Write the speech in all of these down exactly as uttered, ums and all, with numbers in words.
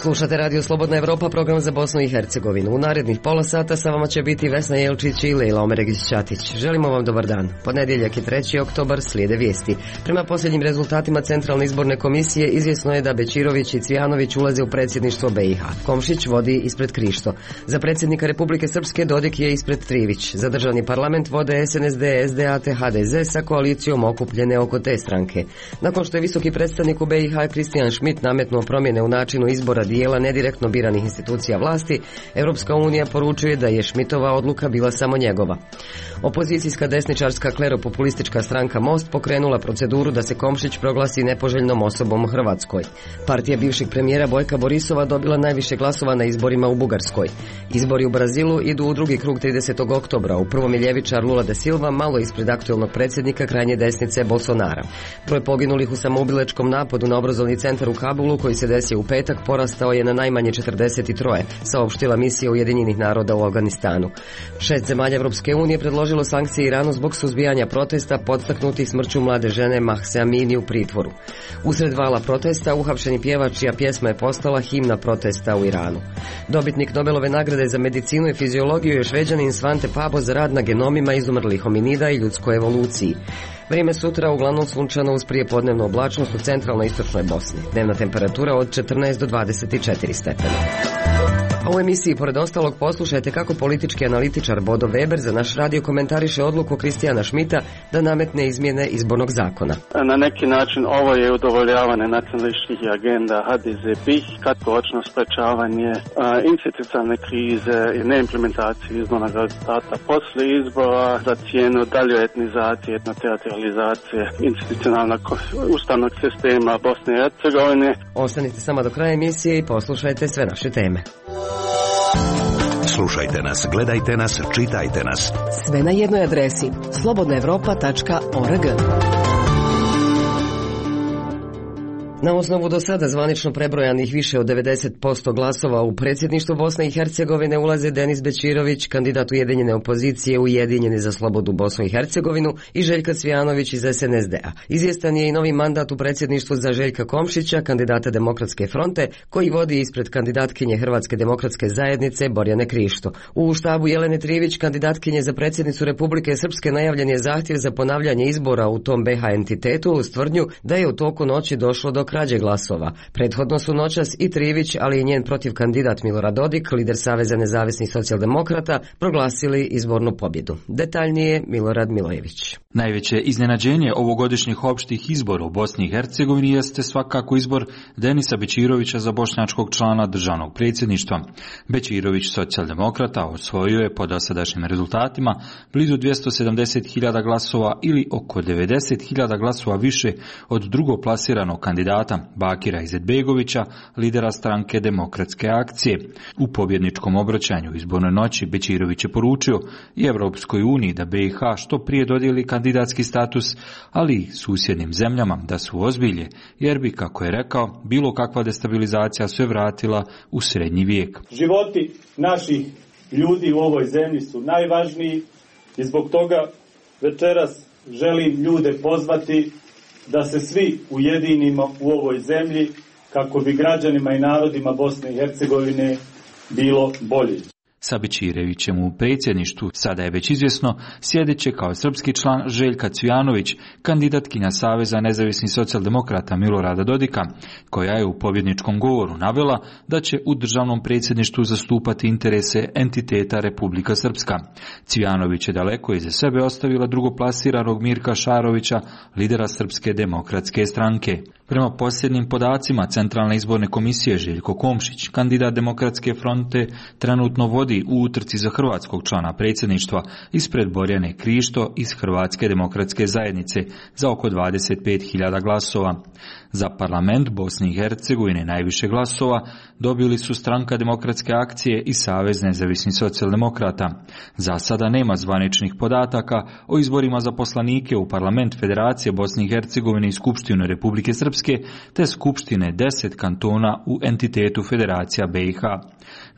Slušate Radio Slobodna Evropa, program za Bosnu i Hercegovinu. U narednih pola sata sa vama će biti Vesna Jelčić i Lejla Omeregić-Ćatić. Želimo vam dobar dan. Ponedjeljak je treći oktobar, slijede vijesti. Prema posljednjim rezultatima Centralne izborne komisije izvjesno je da Bećirović i Cvijanović ulaze u predsjedništvo B i H. Komšić vodi ispred Krišto. Za predsjednika Republike Srpske Dodik je ispred Trivić. Za državni parlament vode S N S D, S D A te H D Z sa koalicijom okupljene oko te stranke. Nakon što je visoki predstavnik u B i H Kristijan Schmidt nametnuo promjene u načinu izbora dijela nedirektno biranih institucija vlasti, Europska unija poručuje da je Schmidtova odluka bila samo njegova. Opozicijska desničarska kleropopulistička stranka Most pokrenula proceduru da se Komšić proglasi nepoželjnom osobom u Hrvatskoj. Partija bivšeg premijera Bojka Borisova dobila najviše glasova na izborima u Bugarskoj. Izbori u Brazilu idu u drugi krug tridesetog oktobra. U prvom je ljevičar Lula da Silva malo ispred aktuelnog predsjednika krajnje desnice Bolsonara. Broj poginulih u samoubilačkom napadu na obrazovni centar u Kabulu koji se desio u petak porastao je na najmanje četrdeset tri, saopštila misija Ujedinjenih naroda u Afganistanu. Šest zemalja Europske unije predložilo sankcije Iranu zbog suzbijanja protesta podstaknutih smrću mlade žene Mahse Amini u pritvoru. Usred vala protesta uhapšeni pjevač čija pjesma je postala himna protesta u Iranu. Dobitnik Nobelove nagrade za medicinu i fiziologiju je Šveđanin Svante Pabo za rad na genomima izumrlih hominida i ljudskoj evoluciji. Vrijeme sutra uglavnom sunčano uz prijepodnevnu oblačnost u centralnoj istočnoj Bosni. Dnevna temperatura od četrnaest do dvadeset četiri stepena. A u emisiji, pored ostalog, poslušajte kako politički analitičar Bodo Weber za naš radio komentariše odluku Kristijana Schmidta da nametne izmjene izbornog zakona. Na neki način ovo je udovoljavanje nacionalističkih agenda H D Z B I H, kratkoročno sprečavanje institucionalne krize i neimplementacije izbornog rezultata poslije izbora za cijenu dalje etnizacije, etnoteritorializacije institucionalnog ustavnog sistema Bosne i Hercegovine. Ostanite samo do kraja emisije i poslušajte sve naše teme. Slušajte nas, gledajte nas, čitajte nas. Sve na jednoj adresi slobodna evropa tačka org. Na osnovu do sada zvanično prebrojanih više od devedeset posto glasova u predsjedništvu Bosne i Hercegovine ulaze Denis Bećirović, kandidat ujedinjene opozicije Ujedinjeni za slobodu Bosnu i Hercegovinu, i Željka Cvijanović iz S N S D A. Izvjestan je i novi mandat u predsjedništvu za Željka Komšića, kandidata Demokratske fronte, koji vodi ispred kandidatkinje Hrvatske demokratske zajednice Borjane Krišto. U štabu Jelene Trivić, kandidatkinje za predsjednicu Republike Srpske, najavljen je zahtjev za ponavljanje izbora u tom B H entitetu uz tvrdnju da je u toku noći došlo do krađe glasova. Prethodno su noćas i Trivić, ali i njen protiv kandidat Milorad Dodik, lider Saveza nezavisnih socijaldemokrata, proglasili izbornu pobjedu. Detaljnije Milorad Milojević. Najveće iznenađenje ovogodišnjih opštih izbora u Bosni i Hercegovini jeste svakako izbor Denisa Bećirovića za bošnjačkog člana državnog predsjedništva. Bećirović, socijaldemokrata, osvojio je po dosadašnjim rezultatima blizu dvjesto sedamdeset hiljada glasova ili oko devedeset hiljada glasova više od drugoplasiranog kandidata Bakira Izetbegovića, lidera stranke Demokratske akcije. U pobjedničkom obraćanju izbornoj noći Bećirović je poručio i Evropskoj uniji da B i H što prije dodijeli kandidatski status, ali i susjednim zemljama da su ozbilje, jer bi, kako je rekao, bilo kakva destabilizacija sve vratila u srednji vijek. Životi naših ljudi u ovoj zemlji su najvažniji i zbog toga večeras želim ljude pozvati da se svi ujedinimo u ovoj zemlji kako bi građanima i narodima Bosne i Hercegovine bilo bolje. Sa Bećirovićem u predsjedništvu, sada je već izvjesno, sjedeće kao srpski član Željka Cvijanović, kandidatkinja Saveza nezavisnih socijaldemokrata Milorada Dodika, koja je u pobjedničkom govoru navela da će u državnom predsjedništvu zastupati interese entiteta Republika Srpska. Cvijanović je daleko iza sebe ostavila drugoplasiranog Mirka Šarovića, lidera Srpske demokratske stranke. Prema posljednjim podacima Centralne izborne komisije, Željko Komšić, kandidat Demokratske fronte, trenutno vodi u utrci za hrvatskog člana predsjedništva ispred Borjane Krišto iz Hrvatske demokratske zajednice za oko dvadeset pet hiljada glasova. Za parlament Bosne i Hercegovine najviše glasova dobili su Stranka Demokratske akcije i Savez nezavisnih socijaldemokrata. Za sada nema zvaničnih podataka o izborima za poslanike u parlament Federacije Bosne i Hercegovine i Skupštine Republike Srpske te Skupštine deset kantona u entitetu Federacija B i H.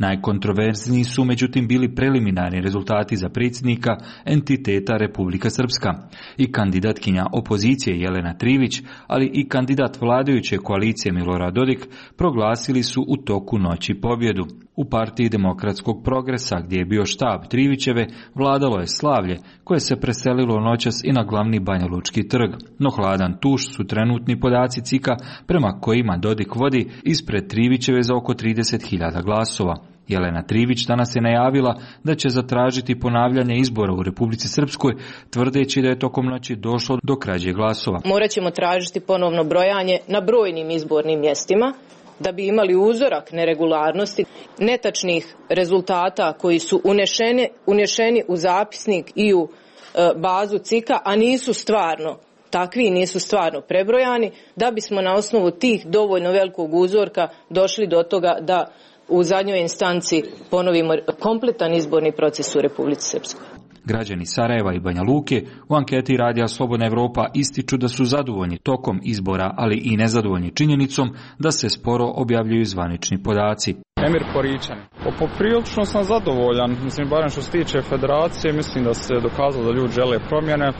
Najkontroverzniji su međutim bili preliminarni rezultati za predsjednika entiteta Republika Srpska. I kandidatkinja opozicije Jelena Trivić, ali i kandidat vladajuće koalicije Milorad Dodik proglasili su u toku noći pobjedu. U partiji Demokratskog progresa, gdje je bio štab Trivićeve, vladalo je slavlje koje se preselilo noćas i na glavni Banjalučki trg. No hladan tuš su trenutni podaci C I K-a prema kojima Dodik vodi ispred Trivićeve za oko trideset hiljada glasova. Jelena Trivić danas je najavila da će zatražiti ponavljanje izbora u Republici Srpskoj, tvrdeći da je tokom noći došlo do krađe glasova. Morat ćemo tražiti ponovno brojanje na brojnim izbornim mjestima, da bi imali uzorak neregularnosti, netačnih rezultata koji su unešeni, unešeni u zapisnik i u e, bazu C I K-a, a nisu stvarno takvi, nisu stvarno prebrojani, da bismo na osnovu tih dovoljno velikog uzorka došli do toga da u zadnjoj instanci ponovimo kompletan izborni proces u Republici Srpskoj. Građani Sarajeva i Banja Luke u anketi Radija Slobodna Evropa ističu da su zadovoljni tokom izbora, ali i nezadovoljni činjenicom da se sporo objavljuju zvanični podaci. Emir Poričan. Poprilično sam zadovoljan, mislim, barem što se tiče federacije, mislim da se dokazalo da ljudi žele promjene.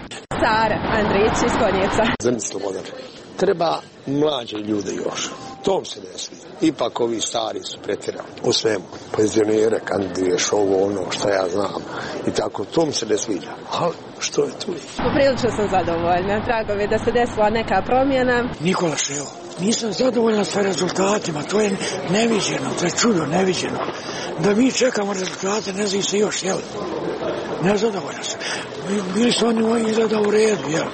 Sara Andrić iz Konjeca. Zemlji Slobodan. Treba mlađe ljude još. Tom se ne smije. Ipak ovi stari su pretjerali u svemu. Penzionere kandiduješ ovo, ono, što ja znam. I tako, tom se ne sviđa. Ali što je tu? Poprilično sam zadovoljna. Drago mi je da se desila neka promjena. Nikola Ševo. Nisam zadovoljna sa rezultatima. To je neviđeno, to je čudo neviđeno. Da mi čekamo rezultate, ne zna se još, jel? Nezadovoljna sam. Bili su oni izgleda u redu, jel?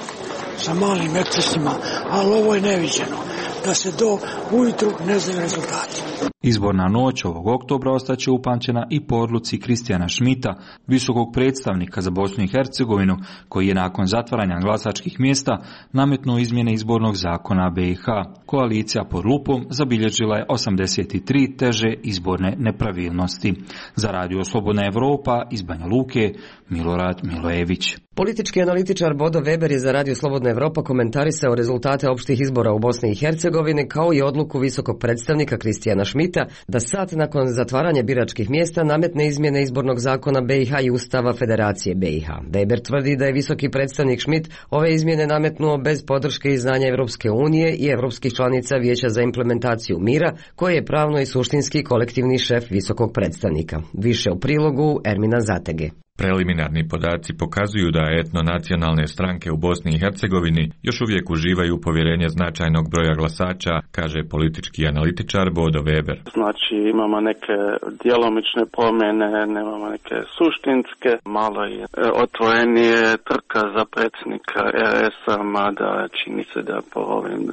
Sa malim ekscesima, ali ovo je neviđeno. Da se do ujutru ne znaju rezultati. Izborna noć ovog oktobra ostaće upamćena i po odluci Kristijana Šmita, visokog predstavnika za Bosnu i Hercegovinu, koji je nakon zatvaranja glasačkih mjesta nametnuo izmjene izbornog zakona B i H. Koalicija pod lupom zabilježila je osamdeset tri teže izborne nepravilnosti. Za Radio Slobodna Evropa iz Banja Luke, Milorad Milojević. Politički analitičar Bodo Weber je za Radio Slobodna Evropa komentarisao rezultate opštih izbora u Bosni i Hercegovini kao i odluku visokog predstavnika Kristijana Šmita da sat nakon zatvaranja biračkih mjesta nametne izmjene izbornog zakona B i H i Ustava Federacije B i H. Weber tvrdi da je visoki predstavnik Šmit ove izmjene nametnuo bez podrške i znanja Evropske unije i evropskih članica Vijeća za implementaciju mira, koji je pravno i suštinski kolektivni šef visokog predstavnika. Više u prilogu Ermina Zatege. Preliminarni podaci pokazuju da etnonacionalne stranke u Bosni i Hercegovini još uvijek uživaju povjerenje značajnog broja glasača, kaže politički analitičar Bodo Weber. Znači imamo neke djelomične promjene, nemamo neke suštinske, malo je otvorenije trka za predsjednika R S-a, mada čini se da po ovim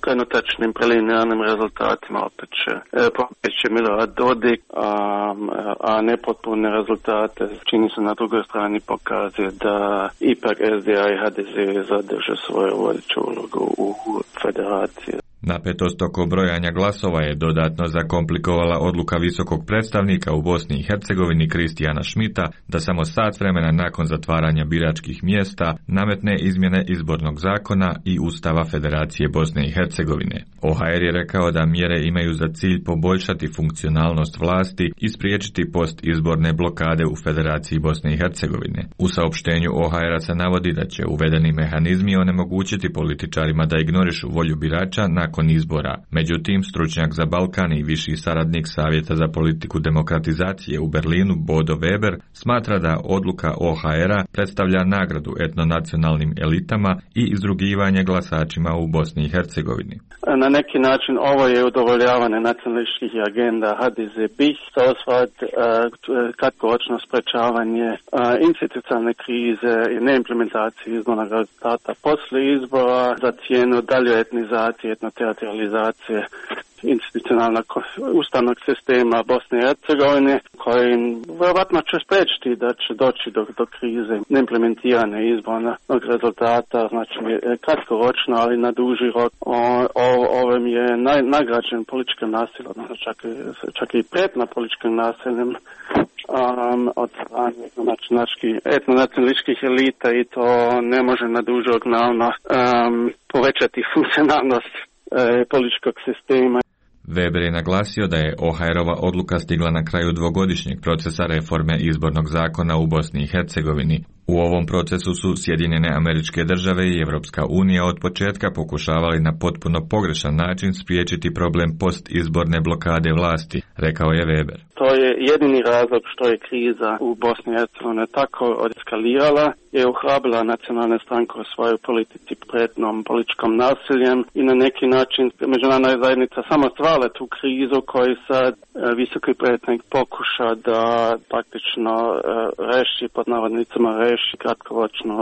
trenutačnim preliminarnim rezultatima opet će, opet će Milorad Dodik, a, a nepotpune rezultate čini se na drugoj strani pokazuje da ipak S D A i H D Z zadrže svoju vodeću ulogu u federaciji. Napetost oko brojanja glasova je dodatno zakomplikovala odluka visokog predstavnika u Bosni i Hercegovini Kristijana Šmita da samo sat vremena nakon zatvaranja biračkih mjesta nametne izmjene izbornog zakona i Ustava Federacije Bosne i Hercegovine. O H R je rekao da mjere imaju za cilj poboljšati funkcionalnost vlasti i spriječiti postizborne blokade u Federaciji Bosne i Hercegovine. U saopštenju O H R-a se navodi da će uvedeni mehanizmi onemogućiti političarima da ignorišu volju birača nakon izbora. Međutim, stručnjak za Balkan i viši saradnik Savjeta za politiku demokratizacije u Berlinu Bodo Weber smatra da odluka O H R-a predstavlja nagradu etnonacionalnim elitama i izrugivanje glasačima u Bosni i Hercegovini. Na neki način ovo je udovoljavanje nacionalističkih agenda H D Z B I H, to osvat kratkoročno sprečavanje institucionalne krize i neimplementacije izbornog rezultata poslije izbora za cijenu dalje etnizacije, etnoteritorializacije institucionalnog ustavnog sistema Bosne i Hercegovine, koji vjerojatno će spriječiti da će doći do, do krize neimplementirane izbornog rezultata, znači kratkoročno, ali na duži rok. O, o, ovim je naj, nagrađen političkim nasiljem, čak, čak i prijetna političkim nasiljem um, od strane etnonacionalističkih elita i to ne može na duži rok naravno um, povećati funkcionalnost uh, političkog sistema. Weber je naglasio da je O H R-ova odluka stigla na kraju dvogodišnjeg procesa reforme izbornog zakona u Bosni i Hercegovini. U ovom procesu su Sjedinjene Američke Države i Evropska unija od početka pokušavali na potpuno pogrešan način spriječiti problem postizborne blokade vlasti, rekao je Weber. To je jedini razlog što je kriza u Bosni i Hercegovini tako eskalirala, je ohrabrila nacionalne stranke u svojoj politici pretnom političkom nasiljem i na neki način međunarodna zajednica samo stvarala tu krizu koju sad visoki predstavnik pokuša da praktično reši, pod navodnicima reši kratkoročno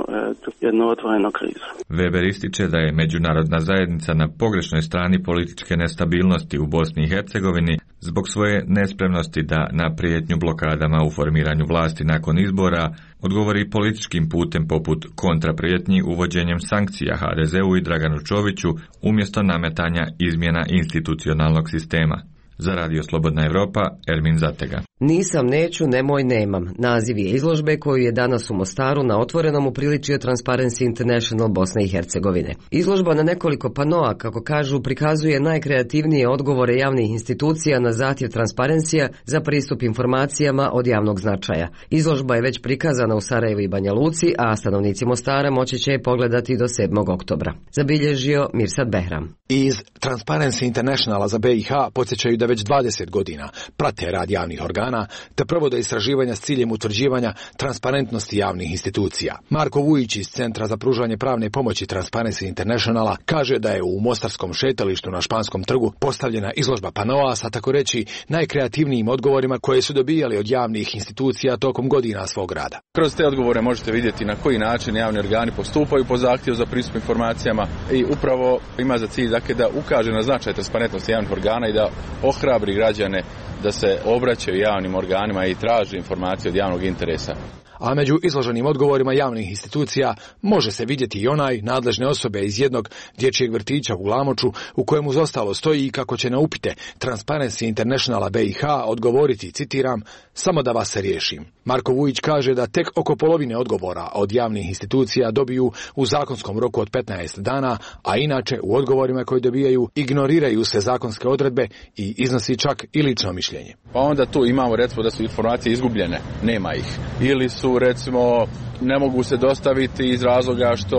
jednu otvorenu krizu. Weber ističe da je međunarodna zajednica na pogrešnoj strani političke nestabilnosti u Bosni i Hercegovini zbog svoje nespremnosti da na prijetnju blokadama u formiranju vlasti nakon izbora odgovori političkim putem poput kontraprijetnji uvođenjem sankcija H D Z-u i Draganu Čoviću umjesto nametanja izmjena institucionalnog sistema. Za Radio Slobodna Evropa, Ermin Zatega. Nisam, neću, nemoj, nemam. Naziv je izložbe koju je danas u Mostaru na Otvorenom upriličio Transparency International Bosne i Hercegovine. Izložba na nekoliko panoa, kako kažu, prikazuje najkreativnije odgovore javnih institucija na zahtjev Transparencija za pristup informacijama od javnog značaja. Izložba je već prikazana u Sarajevu i Banja Luci, a stanovnici Mostara moći će je pogledati do sedmog oktobra. Zabilježio Mirsad Behram. Iz Transparency Internationala za B i H podsjećaju da već dvadeset godina prate rad javnih organa te provode istraživanja s ciljem utvrđivanja transparentnosti javnih institucija. Marko Vujić iz Centra za pružanje pravne pomoći Transparency Internationala kaže da je u mostarskom šetalištu na Španskom trgu postavljena izložba panoa sa tako reći najkreativnijim odgovorima koje su dobijali od javnih institucija tokom godina svog rada. Kroz te odgovore možete vidjeti na koji način javni organi postupaju po zahtjevu za pristup informacijama i upravo ima za cilj dakle, da ukaže na značaj transparentnosti javnih organa i da ohrabri građane da se obraćaju javnim organima i traže informacije od javnog interesa. A među izloženim odgovorima javnih institucija može se vidjeti i onaj nadležne osobe iz jednog dječjeg vrtića u Glamoču u kojemu zostalo stoji kako će na upite Transparency Internationala B i H odgovoriti, citiram, samo da vas se riješim. Marko Vujić kaže da tek oko polovine odgovora od javnih institucija dobiju u zakonskom roku od petnaest dana, a inače u odgovorima koje dobijaju ignoriraju se zakonske odredbe i iznosi čak i lično mišljenje. Pa onda tu imamo recimo da su informacije izgubljene, nema ih. Ili su recimo ne mogu se dostaviti iz razloga što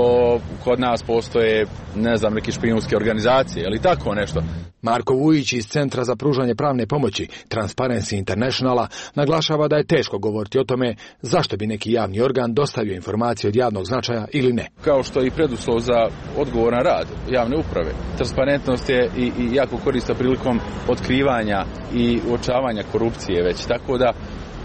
kod nas postoje, ne znam, neke špijunske organizacije ili tako nešto. Marko Vujić iz Centra za pružanje pravne pomoći Transparency Internationala naglašava da je teško govoriti o tome zašto bi neki javni organ dostavio informacije od javnog značaja ili ne. Kao što je i preduslov za odgovoran rad javne uprave. Transparentnost je i, i jako korista prilikom otkrivanja i uočavanja korupcije već, tako da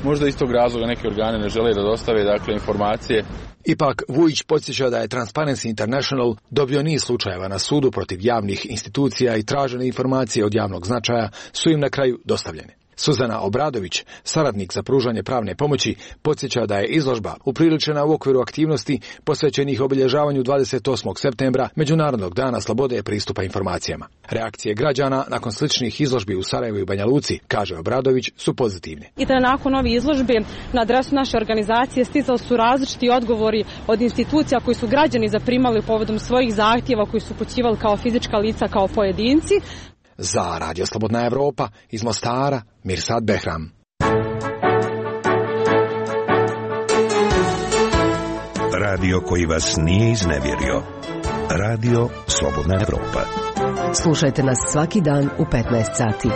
možda iz tog razloga neki organi ne žele da dostave dakle informacije. Ipak Vujić podsjeća da je Transparency International dobio niz slučajeva na sudu protiv javnih institucija i tražene informacije od javnog značaja su im na kraju dostavljene. Suzana Obradović, saradnik za pružanje pravne pomoći, podsjeća da je izložba upriličena u okviru aktivnosti posvećenih obilježavanju dvadeset osmog septembra Međunarodnog dana slobode pristupa informacijama. Reakcije građana nakon sličnih izložbi u Sarajevu i Banja Luci, kaže Obradović, su pozitivne. I da nakon ove izložbe na adresu naše organizacije stizali su različiti odgovori od institucija koji su građani zaprimali povodom svojih zahtjeva koji su upućivali kao fizička lica, kao pojedinci. Za Radio Slobodna Evropa iz Mostara, Mirsad Behram. Radio koji vas nije iznevjerio. Radio Slobodna Evropa. Slušajte nas svaki dan u petnaest sati.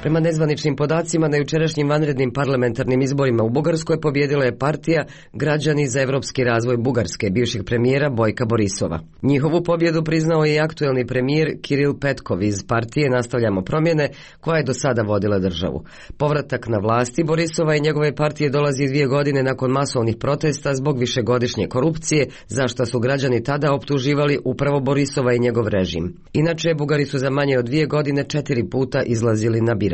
Prema nezvaničnim podacima, na jučerašnjim vanrednim parlamentarnim izborima u Bugarskoj pobjedila je partija Građani za evropski razvoj Bugarske, bivšeg premijera Bojka Borisova. Njihovu pobjedu priznao je i aktuelni premijer Kiril Petkov iz partije Nastavljamo promjene, koja je do sada vodila državu. Povratak na vlasti Borisova i njegove partije dolazi dvije godine nakon masovnih protesta zbog višegodišnje korupcije, za što su građani tada optuživali upravo Borisova i njegov režim. Inače, Bugari su za manje od dvije godine četiri puta izlazili na birališta.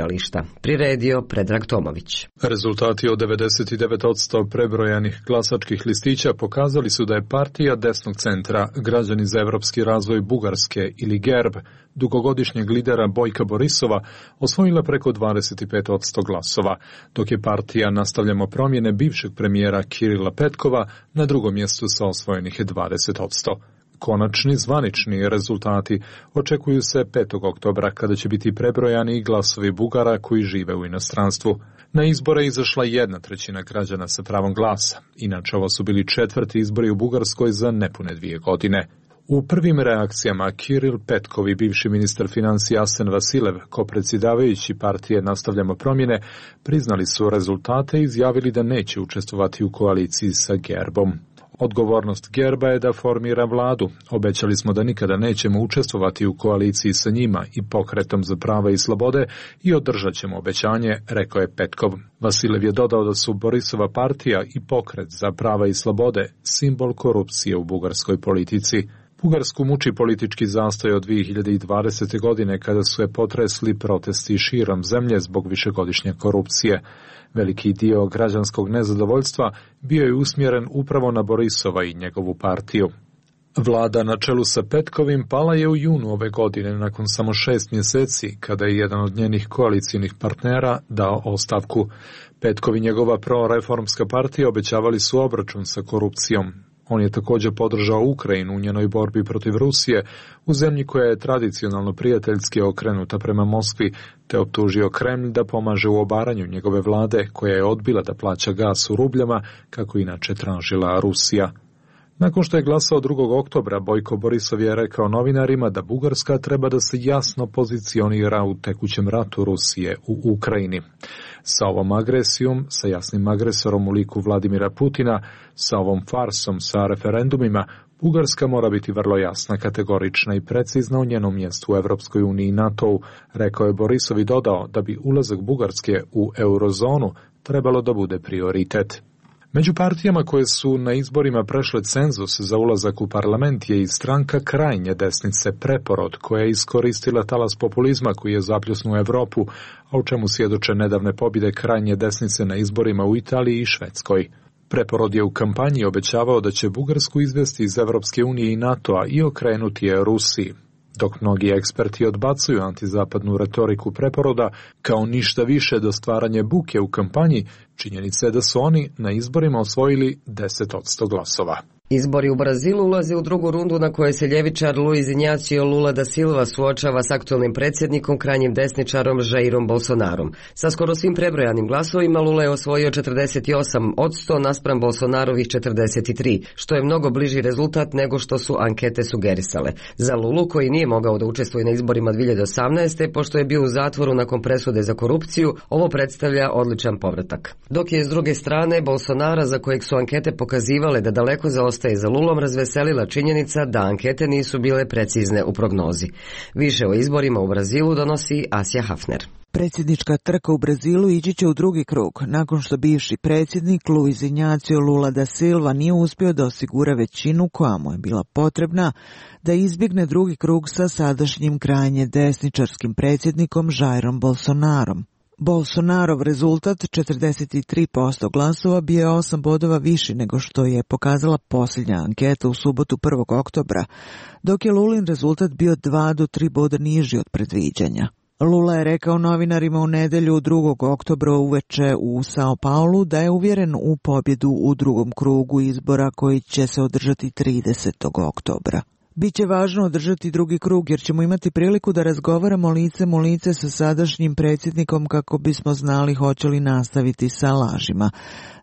Priredio Predrag Tomović. Rezultati od devedeset devet posto prebrojanih glasačkih listića pokazali su da je partija desnog centra Građani za evropski razvoj Bugarske ili GERB dugogodišnjeg lidera Bojka Borisova osvojila preko dvadeset pet posto glasova, dok je partija Nastavljamo promjene bivšeg premijera Kirila Petkova na drugom mjestu sa osvojenih dvadeset posto. Konačni zvanični rezultati očekuju se petog oktobra kada će biti prebrojani glasovi Bugara koji žive u inostranstvu. Na izbore izašla jedna trećina građana sa pravom glasa. Inače, ovo su bili četvrti izbori u Bugarskoj za nepune dvije godine. U prvim reakcijama Kiril Petkov i bivši ministar financija Asen Vasilev, kopredsjedavajući partije Nastavljamo promjene, priznali su rezultate i izjavili da neće učestvovati u koaliciji sa Gerbom. Odgovornost Gerba je da formira vladu. Obećali smo da nikada nećemo učestvovati u koaliciji sa njima i Pokretom za prava i slobode i održat ćemo obećanje, rekao je Petkov. Vasilev je dodao da su Borisova partija i Pokret za prava i slobode simbol korupcije u bugarskoj politici. Bugarsku muči politički zastoj od dvije hiljade dvadesete. godine kada su je potresli protesti širom zemlje zbog višegodišnje korupcije. Veliki dio građanskog nezadovoljstva bio je usmjeren upravo na Borisova i njegovu partiju. Vlada na čelu sa Petkovim pala je u junu ove godine nakon samo šest mjeseci kada je jedan od njenih koalicijnih partnera dao ostavku. Petkov i njegova proreformska partija obećavali su obračun sa korupcijom. On je također podržao Ukrajinu u njenoj borbi protiv Rusije, u zemlji koja je tradicionalno prijateljski okrenuta prema Moskvi, te optužio Kremlj da pomaže u obaranju njegove vlade, koja je odbila da plaća gas u rubljama, kako inače tražila Rusija. Nakon što je glasao drugog oktobra, Bojko Borisov je rekao novinarima da Bugarska treba da se jasno pozicionira u tekućem ratu Rusije u Ukrajini. Sa ovom agresijom, sa jasnim agresorom u liku Vladimira Putina, sa ovom farsom, sa referendumima, Bugarska mora biti vrlo jasna, kategorična i precizna u njenom mjestu u Europskoj uniji i NATO-u, rekao je Borisov i dodao da bi ulazak Bugarske u eurozonu trebalo da bude prioritet. Među partijama koje su na izborima prešle cenzus za ulazak u parlament je i stranka krajnje desnice Preporod, koja je iskoristila talas populizma koji je zapljusnuo Europu, a u čemu svjedoče nedavne pobjede krajnje desnice na izborima u Italiji i Švedskoj. Preporod je u kampanji obećavao da će Bugarsku izvesti iz Europske unije i NATO-a i okrenuti je Rusiji. Dok mnogi eksperti odbacuju antizapadnu retoriku Preporoda kao ništa više do stvaranja buke u kampanji, činjenica je da su oni na izborima osvojili deset posto glasova. Izbori u Brazilu ulaze u drugu rundu na kojoj se ljevičar Luiz Inácio Lula da Silva suočava s aktualnim predsjednikom, krajnjim desničarom Jairom Bolsonarom. Sa skoro svim prebrojanim glasovima Lula je osvojio četrdeset osam posto naspram Bolsonarovih četrdeset tri, što je mnogo bliži rezultat nego što su ankete sugerisale. Za Lulu, koji nije mogao da učestvuje na izborima dvije hiljade osamnaeste. pošto je bio u zatvoru nakon presude za korupciju, ovo predstavlja odličan povratak. Dok je s druge strane Bolsonara, za kojeg su ankete pokazivale da daleko zaostaje za Lulom, razveselila činjenica da ankete nisu bile precizne u prognozi. Više o izborima u Brazilu donosi Asja Hafner. Predsjednička trka u Brazilu ići će u drugi krug, nakon što bivši predsjednik Luiz Inácio Lula da Silva nije uspio da osigura većinu koja mu je bila potrebna da izbjegne drugi krug sa sadašnjim krajnje desničarskim predsjednikom Jairom Bolsonarom. Bolsonarov rezultat četrdeset tri posto glasova bio je osam bodova viši nego što je pokazala posljednja anketa u subotu prvog oktobra, dok je Lulin rezultat bio dva do tri boda niži od predviđanja. Lula je rekao novinarima u nedjelju drugog oktobra uveče u Sao Paulu da je uvjeren u pobjedu u drugom krugu izbora koji će se održati tridesetog oktobra. Biće važno održati drugi krug jer ćemo imati priliku da razgovaramo licem u lice sa sadašnjim predsjednikom kako bismo znali hoće li nastaviti sa lažima,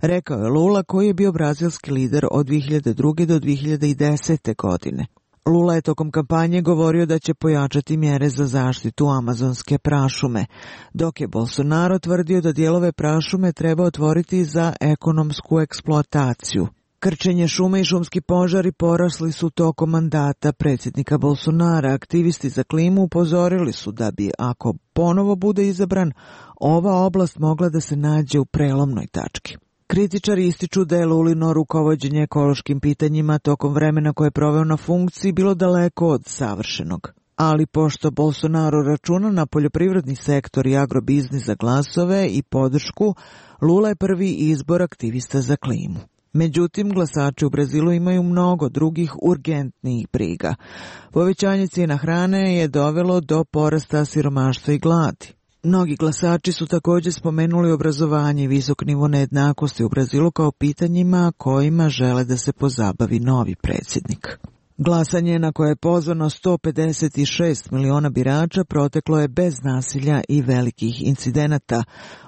rekao je Lula, koji je bio brazilski lider od dvije hiljade druge. do dvije hiljade desete. godine. Lula je tokom kampanje govorio da će pojačati mjere za zaštitu amazonske prašume, dok je Bolsonaro tvrdio da dijelove prašume treba otvoriti za ekonomsku eksploataciju. Krčenje šume i šumski požari porasli su tokom mandata predsjednika Bolsonara. Aktivisti za klimu upozorili su da bi, ako ponovo bude izabran, ova oblast mogla da se nađe u prelomnoj tački. Kritičari ističu da je Lulino rukovođenje ekološkim pitanjima tokom vremena koje je proveo na funkciji bilo daleko od savršenog. Ali pošto Bolsonaro računa na poljoprivredni sektor i agrobiznis za glasove i podršku, Lula je prvi izbor aktivista za klimu. Međutim, glasači u Brazilu imaju mnogo drugih urgentnijih briga. Povećanje cijena hrane je dovelo do porasta siromaštva i gladi. Mnogi glasači su također spomenuli obrazovanje i visok nivo nejednakosti u Brazilu kao pitanjima kojima žele da se pozabavi novi predsjednik. Glasanje na koje je pozvano sto pedeset šest miliona birača proteklo je bez nasilja i velikih incidenata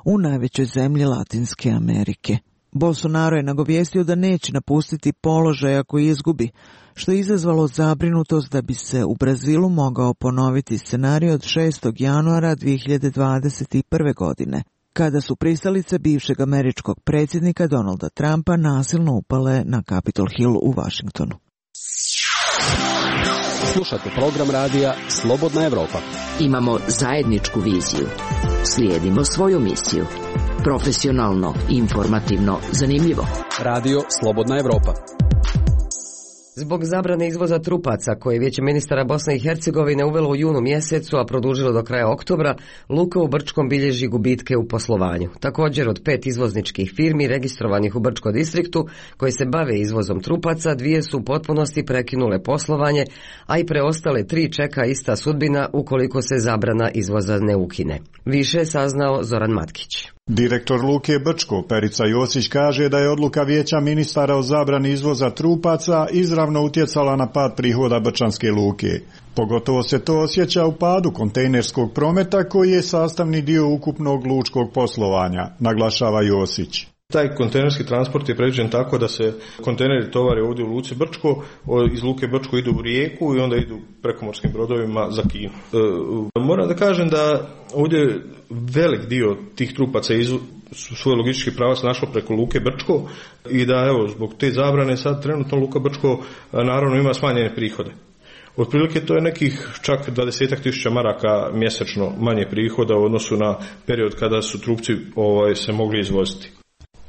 u najvećoj zemlji Latinske Amerike. Bolsonaro je nagovijestio da neće napustiti položaj ako izgubi, što je izazvalo zabrinutost da bi se u Brazilu mogao ponoviti scenarij od šestog januara dvije hiljade dvadeset prve. godine, kada su pristalice bivšeg američkog predsjednika Donalda Trumpa nasilno upale na Capitol Hill u Washingtonu. Slušate program radija Slobodna Evropa. Imamo zajedničku viziju. Slijedimo svoju misiju. Profesionalno, informativno, zanimljivo. Radio Slobodna Evropa. Zbog zabrane izvoza trupaca, koje je Vijeće ministara Bosne i Hercegovine uvelo u junu mjesecu, a produžilo do kraja oktobra, luka u Brčkom bilježi gubitke u poslovanju. Također, od pet izvozničkih firmi registrovanih u Brčkom distriktu, koje se bave izvozom trupaca, dvije su u potpunosti prekinule poslovanje, a i preostale tri čeka ista sudbina ukoliko se zabrana izvoza ne ukine. Više je saznao Zoran Matkić. Direktor Luke Brčko, Perica Josić, kaže da je odluka Vijeća ministara o zabrani izvoza trupaca izravno utjecala na pad prihoda Brčanske luke. Pogotovo se to osjeća u padu kontejnerskog prometa koji je sastavni dio ukupnog lučkog poslovanja, naglašava Josić. Taj kontejnerski transport je predviđen tako da se kontejneri tovare ovdje u Luci Brčko, iz Luke Brčko idu u Rijeku i onda idu prekomorskim brodovima za Kinu. E, moram da kažem da ovdje velik dio tih trupaca izvo, su svoj logistički pravac našlo preko Luke Brčko i da evo zbog te zabrane sad trenutno Luka Brčko naravno ima smanjene prihode. Otprilike to je nekih čak dvadesetak tisuća maraka mjesečno manje prihoda u odnosu na period kada su trupci ovaj, se mogli izvoziti.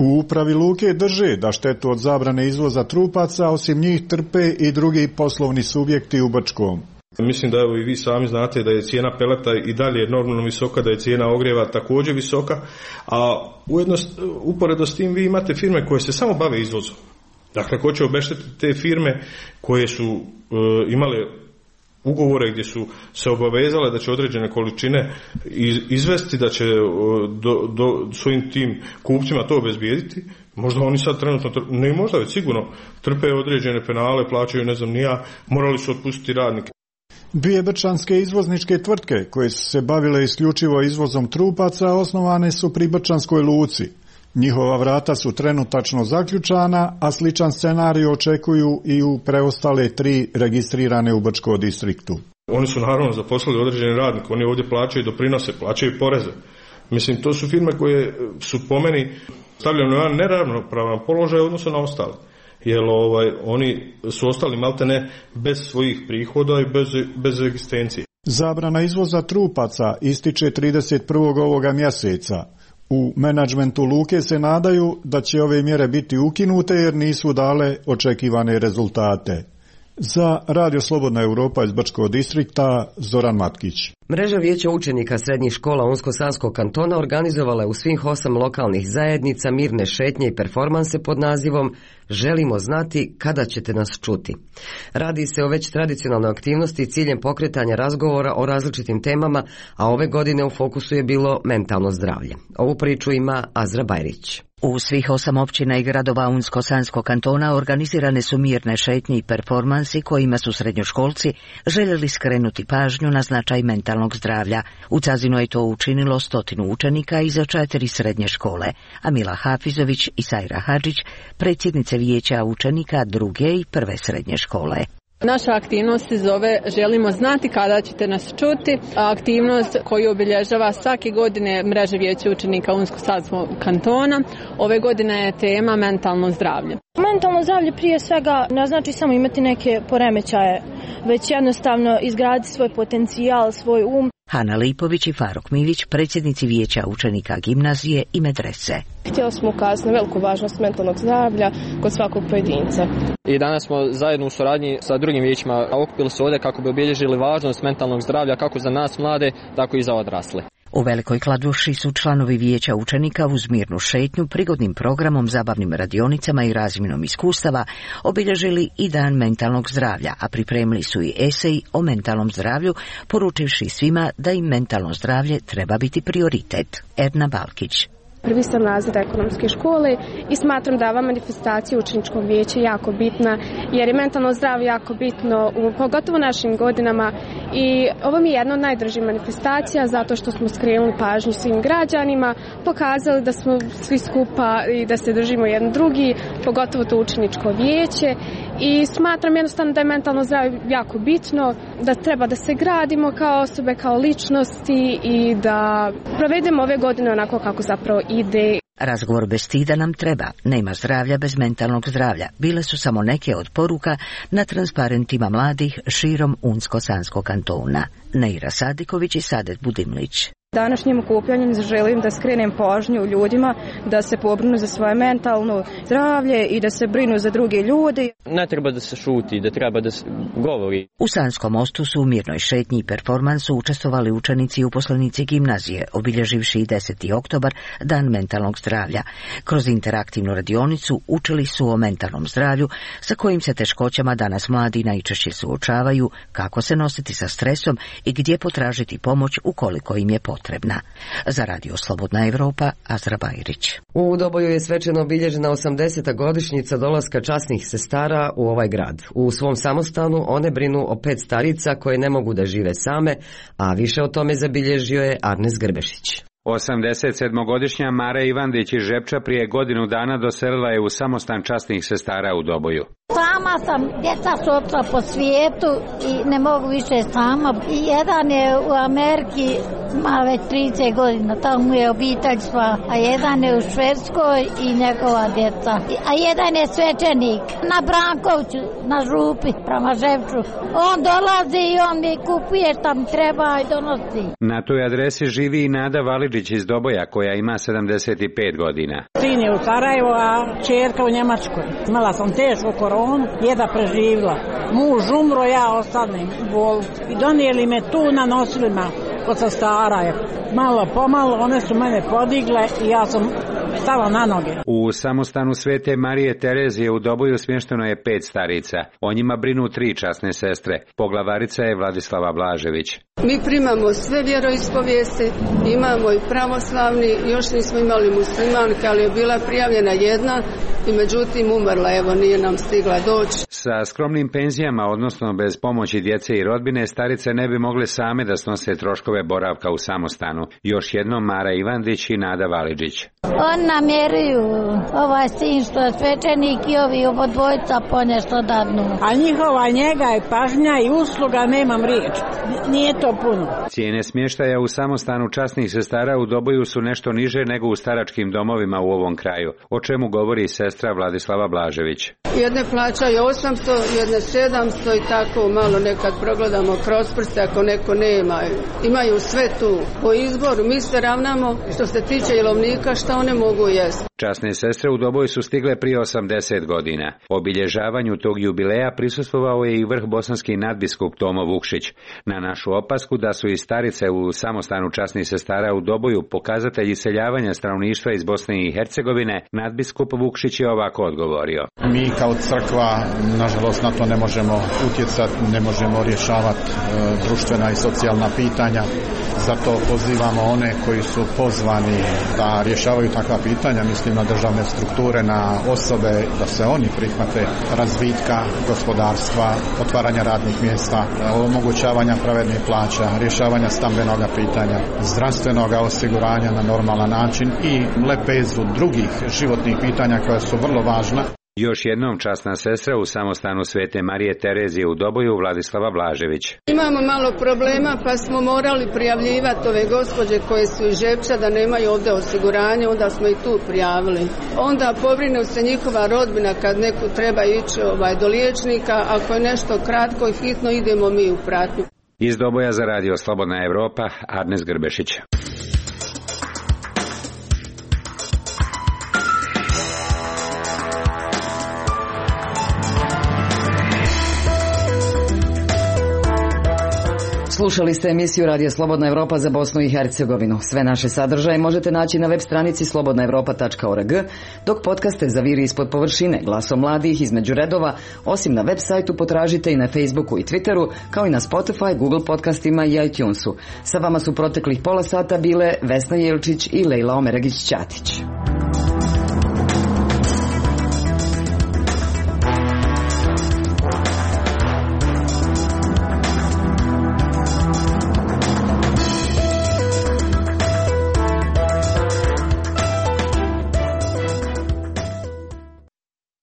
U upravi luke drže da štetu od zabrane izvoza trupaca osim njih trpe i drugi poslovni subjekti u Brčkom. Mislim da evo i vi sami znate da je cijena peleta i dalje normalno visoka, da je cijena ogrijeva također visoka, a ujedno uporedo s tim vi imate firme koje se samo bave izvozom. Dakle, ko će obeštetiti te firme koje su e, imale ugovore gdje su se obavezale da će određene količine izvesti, da će do, do svojim tim kupcima to obezbijediti, možda oni sad trenutno, ne možda već sigurno, trpe određene penale, plaćaju ne znam ni ja, morali su otpustiti radnike. Dvije brčanske izvozničke tvrtke koje su se bavile isključivo izvozom trupaca osnovane su pri Brčanskoj luci. Njihova vrata su trenutačno zaključana, a sličan scenarij očekuju i u preostale tri registrirane u Brčkom distriktu. Oni su naravno zaposlili određene radnike, oni ovdje plaćaju doprinose, plaćaju poreze. Mislim, to su firme koje su po meni stavljene na neravnopravan položaj u odnosu na ostale. Jer ovaj, oni su ostali maltene bez svojih prihoda i bez, bez egzistencije. Zabrana izvoza trupaca ističe trideset prvog ovoga mjeseca. U menadžmentu luke se nadaju da će ove mjere biti ukinute jer nisu dale očekivane rezultate. Za Radio Slobodna Evropa iz Brčkog distrikta, Zoran Matkić. Mreža vijeća učenika srednjih škola Unsko-Sanskog kantona organizovala je u svih osam lokalnih zajednica mirne šetnje i performanse pod nazivom Želimo znati kada ćete nas čuti. Radi se o već tradicionalnoj aktivnosti i ciljem pokretanja razgovora o različitim temama, a ove godine u fokusu je bilo mentalno zdravlje. Ovu priču ima Azra Bajrić. U svih osam općina i gradova Unsko-Sanskog kantona organizirane su mirne šetnje i performansi kojima su srednjoškolci željeli skrenuti pažnju na značaj mentalnog zdravlja. U Cazinu je to učinilo stotinu učenika iza četiri srednje škole, a Mila Hafizović i Sajra Hadžić, predsjednice vijeća učenika druge i prve srednje škole. Naša aktivnost se zove Želimo znati kada ćete nas čuti. Aktivnost koju obilježava svake godine mreža vijeća učenika Unsko-Sanskog kantona. Ove godine je tema mentalno zdravlje. Mentalno zdravlje prije svega ne znači samo imati neke poremećaje, već jednostavno izgraditi svoj potencijal, svoj um. Hana Lipović i Faruk Milić, predsjednici vijeća učenika gimnazije i medrese. Htjeli smo ukazati na veliku važnost mentalnog zdravlja kod svakog pojedinca. I danas smo zajedno u suradnji sa drugim vijećima okupili se ovdje kako bi obilježili važnost mentalnog zdravlja kako za nas mlade, tako i za odrasle. U Velikoj Kladuši su članovi vijeća učenika uz mirnu šetnju, prigodnim programom, zabavnim radionicama i razmjenom iskustava obilježili i dan mentalnog zdravlja, a pripremili su i esej o mentalnom zdravlju, poručivši svima da im mentalno zdravlje treba biti prioritet. Erna Balkić. Prvi sam razred ekonomske škole i smatram da ova manifestacija učeničkog vijeća jako bitna, jer je mentalno zdravlje jako bitno, pogotovo u našim godinama, i ovo mi je jedna od najdražih manifestacija zato što smo skrenuli pažnju svim građanima, pokazali da smo svi skupa i da se držimo jedan drugi, pogotovo to učeničko vijeće, i smatram jednostavno da je mentalno zdravlje jako bitno, da treba da se gradimo kao osobe, kao ličnosti i da provedemo ove godine onako kako zapravo ide. Razgovor bez stida nam treba, nema zdravlja bez mentalnog zdravlja. Bile su samo neke od poruka na transparentima mladih širom Unsko-Sanskog kantona. Neira Sadiković i Sadet Budimlić. Današnjim okupljanjem želim da skrenem pažnju ljudima da se pobrinu za svoje mentalno zdravlje i da se brinu za druge ljude. Ne treba da se šuti, da treba da se govori. U Sanskom mostu su u mirnoj šetnji i performansu učestvovali učenici i uposlenici gimnazije, obilježivši deseti oktobar, Dan mentalnog zdravlja. Kroz interaktivnu radionicu učili su o mentalnom zdravlju, sa kojim se teškoćama danas mladi najčešće suočavaju, kako se nositi sa stresom i gdje potražiti pomoć ukoliko im je potrebno. Potrebna. Za Radio Slobodna Evropa, Azra Bajrić. U Doboju je svečano obilježena osamdeseta godišnjica dolaska časnih sestara u ovaj grad. U svom samostanu one brinu o pet starica koje ne mogu da žive same, a više o tome zabilježio je Arnes Grbešić. osamdeset sedmogodišnja Mara Ivandić iz Žepča prije godinu dana doselila je u samostan časnih sestara u Doboju. Sama sam, djeca su opšla po svijetu i ne mogu više sama. I jedan je u Ameriki, ima već trideset godina, tamo je obitelj sva, a jedan je u Švedskoj i njegova djeca. A jedan je svećenik na Brankovću, na Župi, prema Žepču. On dolazi i on mi kupuje šta mi treba i donosi. Na toj adresi živi i Nada Validžić iz Doboja, koja ima sedamdeset pet godina. Sin je u Sarajevo, a čerka u Njemačkoj. Imala sam tešku koronu, jeda preživila. Muž umro, ja ostanem u bolnici. I donijeli me tu na nosilima kod sestara. Malo pomalo one su mene podigle i ja sam stala na noge. U samostanu Svete Marije Terezije u Doboju smješteno je pet starica. O njima brinu tri časne sestre. Poglavarica je Vladislava Blažević. Mi primamo sve vjeroispovijesti, imamo i pravoslavni, još nismo imali muslimanke, ali je bila prijavljena jedna i međutim umrla, evo nije nam stigla doći. Sa skromnim penzijama, odnosno bez pomoći djece i rodbine, starice ne bi mogle same da snose troškove boravka u samostanu. Još jednom Mara Ivandić i Nada Validžić. On namjeruju ovaj sin što je svečenik i ovi obodvojica po nešto dadnu. A njihova njega je pažnja i usluga, nemam riječ. Nije to puno. Cijene smještaja u samostanu časnih sestara u Doboju su nešto niže nego u staračkim domovima u ovom kraju, o čemu govori sestra Vladislava Blažević. Jedne plaćaju osamsto, jedne sedamsto i tako malo nekad progledamo kroz prste ako neko nema. Imaju sve tu po izboru, mi se ravnamo što se tiče jelovnika šta one mogu jesti. Časne sestre u Doboju su stigle prije osamdeset godina. Obilježavanju tog jubileja prisustvovao je i vrh bosanski nadbiskup Tomo Vukšić. Na našu opasku da su i starice u samostanu časnih sestara u Doboju pokazatelji iseljavanja stanovništva iz Bosne i Hercegovine, nadbiskup Vukšić je ovako odgovorio. Mi kao crkva, nažalost, na to ne možemo utjecati, ne možemo rješavati e, društvena i socijalna pitanja. Zato pozivamo one koji su pozvani da rješavaju takva pitanja, mislim na državne strukture, na osobe, da se oni prihvate razvitka gospodarstva, otvaranja radnih mjesta, omogućavanja pravednih plaća, rješavanja stambenog pitanja, zdravstvenog osiguranja na normalan način i lepezu drugih životnih pitanja koja su vrlo važna. Još jednom časna sestra u samostanu Svete Marije Terezije u Doboju, Vladislava Blažević. Imamo malo problema pa smo morali prijavljivati ove gospođe koje su iz Žepča da nemaju ovdje osiguranje, onda smo i tu prijavili. Onda pobrine se njihova rodbina kad neko treba ići ovaj, do liječnika, ako je nešto kratko i hitno idemo mi u pratnju. Iz Doboja za Radio Slobodna Evropa, Arnes Grbešić. Slušali ste emisiju Radio Slobodna Evropa za Bosnu i Hercegovinu. Sve naše sadržaje možete naći na web stranici slobodna evropa tačka org, dok podcaste Zaviri ispod površine, Glasom mladih, Između redova, osim na web sajtu potražite i na Facebooku i Twitteru, kao i na Spotify, Google podcastima i iTunesu. Sa vama su proteklih pola sata bile Vesna Jelčić i Lejla Omeregić-Ćatić.